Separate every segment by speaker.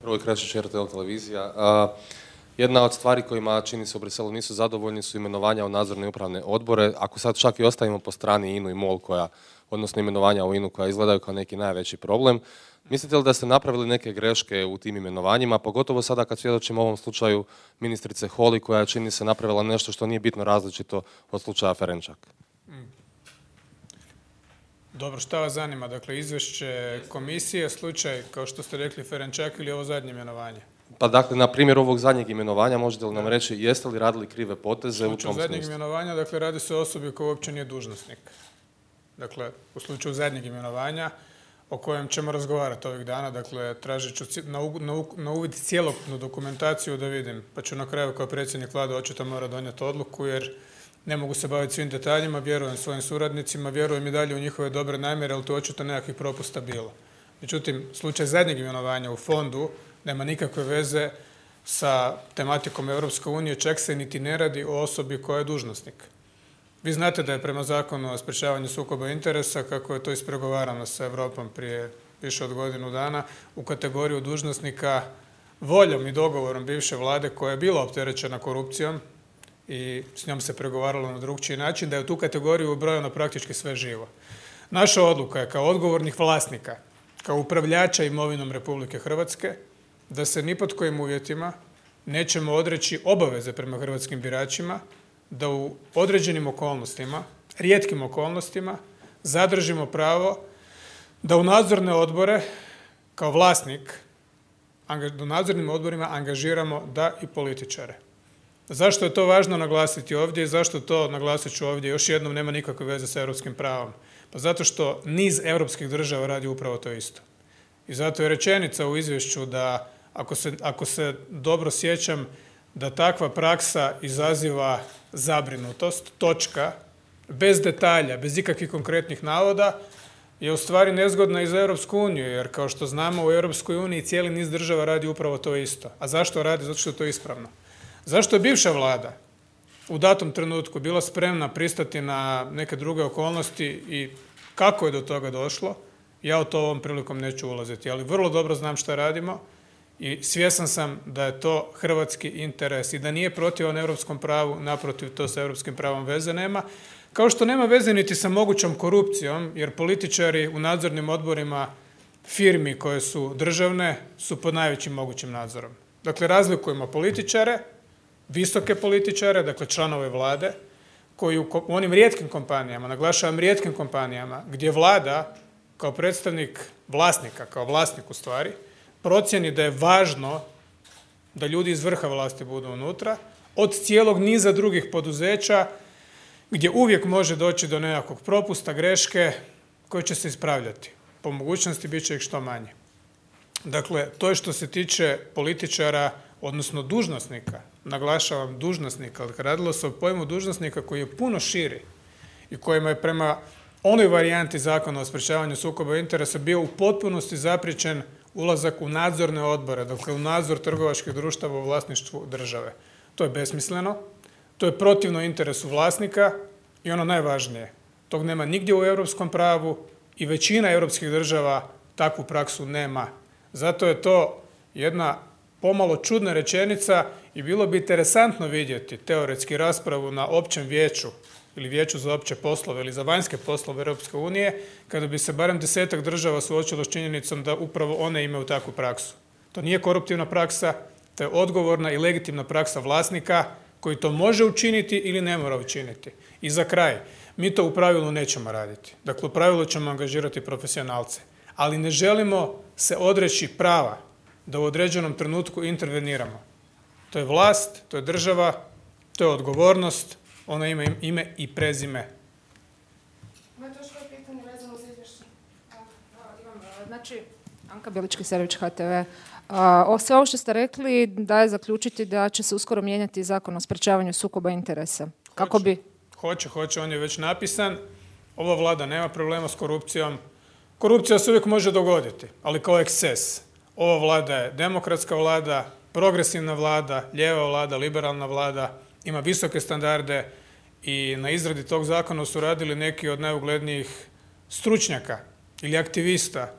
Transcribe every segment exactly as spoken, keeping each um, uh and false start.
Speaker 1: Hrvoje Krešić, R T L televizija. A, jedna od stvari kojima čini se u Briselu nisu zadovoljni su imenovanja u nadzorne i upravne odbore. Ako sad čak i ostavimo po strani I N U i MOL, koja, odnosno imenovanja u I N U koja izgledaju kao neki najveći problem, mislite li da ste napravili neke greške u tim imenovanjima, pogotovo sada kad svjedočimo ovom slučaju ministrice Holy, koja čini se napravila nešto što nije bitno različito od slučaja Ferenčak?
Speaker 2: Dobro, šta vas zanima? Dakle, izvješće komisije, slučaj, kao što ste rekli, Ferenčak ili ovo zadnje imenovanje?
Speaker 1: Pa dakle, na primjer ovog zadnjeg imenovanja, možete li nam reći, jeste li radili krive poteze u tom smislu?
Speaker 2: U slučaju zadnjeg imenovanja, dakle, radi se o osobi koja uopće nije dužnosnik. Dakle, u slučaju zadnjeg imenovanja, o kojem ćemo razgovarati ovih dana, dakle, tražit ću na, na, na uvid cjelokupnu dokumentaciju da vidim, pa ću na kraju kao predsjednik vlade očito mora donijeti odluku, jer ne mogu se baviti svim detaljima, vjerujem svojim suradnicima, vjerujem i dalje u njihove dobre namjere, ali tu očito nekakvih propusta bilo. Međutim, slučaj zadnjeg imenovanja u fondu nema nikakve veze sa tematikom Europske unije, čak se niti ne radi o osobi koja je dužnosnik. Vi znate da je prema zakonu o sprječavanju sukoba interesa, kako je to ispregovarano sa Europom prije više od godinu dana, u kategoriju dužnosnika voljom i dogovorom bivše vlade koja je bila opterećena korupcijom i s njom se pregovaralo na drugčiji način, da je u tu kategoriju ubrojeno praktički sve živo. Naša odluka je kao odgovornih vlasnika, kao upravljača imovinom Republike Hrvatske, da se ni pod kojim uvjetima nećemo odreći obaveze prema hrvatskim biračima, da u određenim okolnostima, rijetkim okolnostima, zadržimo pravo da u nadzorne odbore, kao vlasnik, u nadzornim odborima angažiramo da i političare. Zašto je to važno naglasiti ovdje i zašto to, naglasit ću ovdje, još jednom nema nikakve veze sa europskim pravom? Pa zato što niz europskih država radi upravo to isto. I zato je rečenica u izvješću da, ako se, ako se dobro sjećam, da takva praksa izaziva zabrinutost, točka, bez detalja, bez ikakvih konkretnih navoda, je u stvari nezgodna i za Europsku uniju, jer kao što znamo u Europskoj uniji cijeli niz država radi upravo to isto. A zašto radi? Zato što je to ispravno. Zašto je bivša vlada u datom trenutku bila spremna pristati na neke druge okolnosti i kako je do toga došlo? Ja u to ovom prilikom neću ulaziti, ali vrlo dobro znam šta radimo i svjestan sam da je to hrvatski interes i da nije protivan europskom pravu, naprotiv, to sa europskim pravom veze nema. Kao što nema veze niti sa mogućom korupcijom, jer političari u nadzornim odborima firmi koje su državne su pod najvećim mogućim nadzorom. Dakle, razlikujemo političare, visoke političare, dakle članove vlade, koji u onim rijetkim kompanijama, naglašavam rijetkim kompanijama, gdje vlada kao predstavnik vlasnika, kao vlasnik u stvari, procjeni da je važno da ljudi iz vrha vlasti budu unutra, od cijelog niza drugih poduzeća gdje uvijek može doći do nekakvog propusta, greške koje će se ispravljati. Po mogućnosti bit će ih što manje. Dakle, to je što se tiče političara, odnosno dužnosnika, naglašavam dužnosnika, ali radilo se o pojmu dužnosnika koji je puno širi i kojima je prema onoj varijanti zakona o sprječavanju sukoba interesa bio u potpunosti zapriječen ulazak u nadzorne odbore, dakle u nadzor trgovačkih društava u vlasništvu države. To je besmisleno, to je protivno interesu vlasnika i ono najvažnije, tog nema nigdje u europskom pravu i većina europskih država takvu praksu nema. Zato je to jedna pomalo čudna rečenica i bilo bi interesantno vidjeti teoretski raspravu na općem vijeću ili vijeću za opće poslove ili za vanjske poslove Europske unije, kada bi se barem desetak država suočilo s činjenicom da upravo one imaju takvu praksu. To nije koruptivna praksa, to je odgovorna i legitimna praksa vlasnika koji to može učiniti ili ne mora učiniti. I za kraj, mi to u pravilu nećemo raditi. Dakle, u pravilu ćemo angažirati profesionalce, ali ne želimo se odreći prava da u određenom trenutku interveniramo. To je vlast, to je država, to je odgovornost, ona ima ime i prezime.
Speaker 3: Imate još koje pitanje vezano za izvješće? Znači, Anka Bilički-Servić, H T V. O sve ovo što ste rekli da je zaključiti da će se uskoro mijenjati zakon o sprječavanju sukoba interesa. Kako
Speaker 2: hoće,
Speaker 3: bi?
Speaker 2: Hoće, hoće, on je već napisan. Ova vlada nema problema s korupcijom. Korupcija se uvijek može dogoditi, ali kao eksces. Ova vlada je demokratska vlada, progresivna vlada, lijeva vlada, liberalna vlada, ima visoke standarde i na izradi tog zakona su radili neki od najuglednijih stručnjaka ili aktivista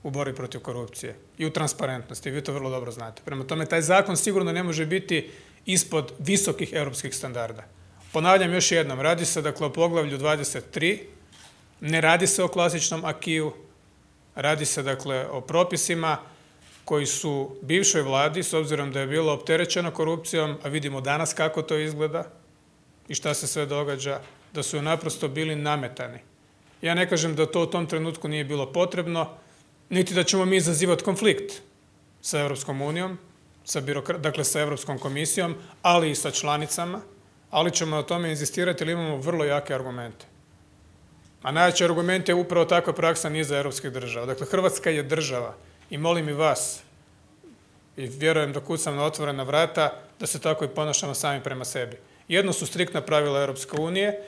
Speaker 2: u borbi protiv korupcije i u transparentnosti. Vi to vrlo dobro znate. Prema tome, taj zakon sigurno ne može biti ispod visokih europskih standarda. Ponavljam još jednom, radi se dakle o poglavlju dvadeset tri, ne radi se o klasičnom akiju, radi se dakle o propisima koji su bivšoj vladi, s obzirom da je bilo opterećeno korupcijom, a vidimo danas kako to izgleda i šta se sve događa, da su joj naprosto bili nametani. Ja ne kažem da to u tom trenutku nije bilo potrebno, niti da ćemo mi izazivati konflikt sa Europskom unijom, sa birokra- dakle sa Europskom komisijom, ali i sa članicama, ali ćemo na tome inzistirati jer imamo vrlo jake argumente. A najjači argument je upravo takva praksa niza europskih država. Dakle, Hrvatska je država i molim i vas, i vjerujem da kucam na otvorena vrata, da se tako i ponašamo sami prema sebi. Jedno su striktna pravila Europske unije,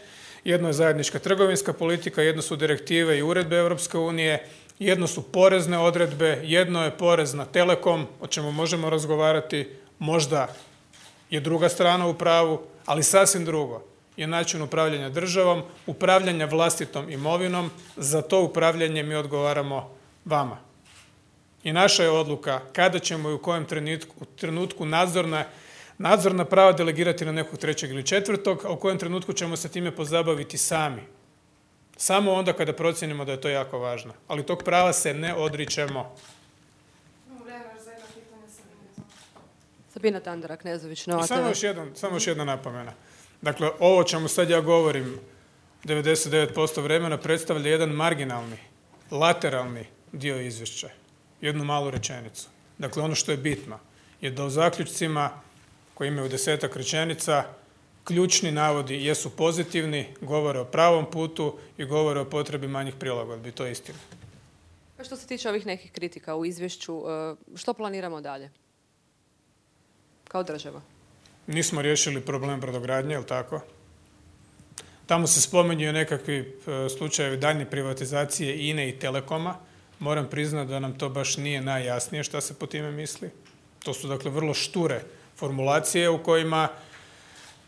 Speaker 2: jedno je zajednička trgovinska politika, jedno su direktive i uredbe Europske unije, jedno su porezne odredbe, jedno je porez na Telekom, o čemu možemo razgovarati, možda je druga strana u pravu, ali sasvim drugo je način upravljanja državom, upravljanja vlastitom imovinom, za to upravljanje mi odgovaramo vama. I naša je odluka kada ćemo i u kojem trenutku, trenutku nadzorna, nadzorna prava delegirati na nekog trećeg ili četvrtog, a u kojem trenutku ćemo se time pozabaviti sami. Samo onda kada procijenimo da je to jako važno. Ali tog prava se ne odričemo.
Speaker 4: Sabina Tandara, Knezović, Nova
Speaker 2: I samo
Speaker 4: te ve.
Speaker 2: još, jedan, samo još jedna napomena. Dakle, ovo čemu sad ja govorim devedeset devet posto vremena predstavlja jedan marginalni, lateralni dio izvješća. Jednu malu rečenicu. Dakle, ono što je bitno je da u zaključcima koji imaju desetak rečenica ključni navodi jesu pozitivni, govore o pravom putu i govore o potrebi manjih prilagodbi. To je istina.
Speaker 4: A što se tiče ovih nekih kritika u izvješću, e, što planiramo dalje? Kao država.
Speaker 2: Nismo riješili problem brodogradnje, je li tako? Tamo se spominju nekakvi e, slučajevi daljnje privatizacije I N E i Telekoma. Moram priznati da nam to baš nije najjasnije šta se po time misli. To su dakle vrlo šture formulacije u kojima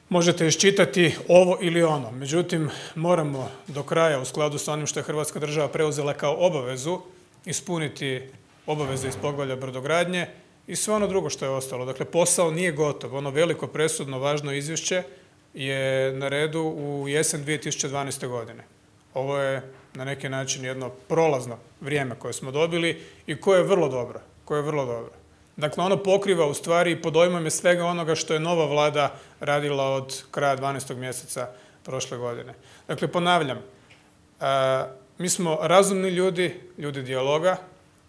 Speaker 2: možete iščitati ovo ili ono. Međutim, moramo do kraja u skladu sa onim što je Hrvatska država preuzela kao obavezu ispuniti obaveze iz poglavlja brodogradnje i sve ono drugo što je ostalo. Dakle, posao nije gotov. Ono veliko, presudno, važno izvješće je na redu u jesen dvije tisuće dvanaeste. godine. Ovo je na neki način jedno prolazno vrijeme koje smo dobili i koje je vrlo dobro. Koje je vrlo dobro. Dakle, ono pokriva u stvari i pod dojmom je svega onoga što je nova vlada radila od kraja dvanaestog mjeseca prošle godine. Dakle, ponavljam, a, mi smo razumni ljudi, ljudi dijaloga,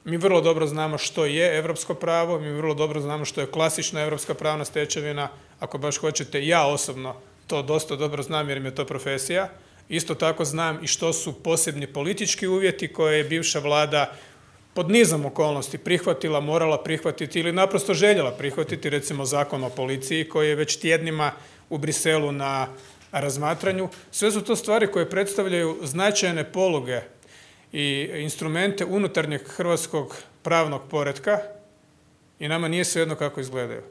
Speaker 2: mi vrlo dobro znamo što je europsko pravo, mi vrlo dobro znamo što je klasična europska pravna stečevina, ako baš hoćete, ja osobno to dosta dobro znam jer mi je to profesija. Isto tako znam i što su posebni politički uvjeti koje je bivša vlada pod nizom okolnosti prihvatila, morala prihvatiti ili naprosto željela prihvatiti, recimo Zakon o policiji koji je već tjednima u Briselu na razmatranju. Sve su to stvari koje predstavljaju značajne poluge i instrumente unutarnjeg hrvatskog pravnog poretka i nama nije svejedno kako izgledaju.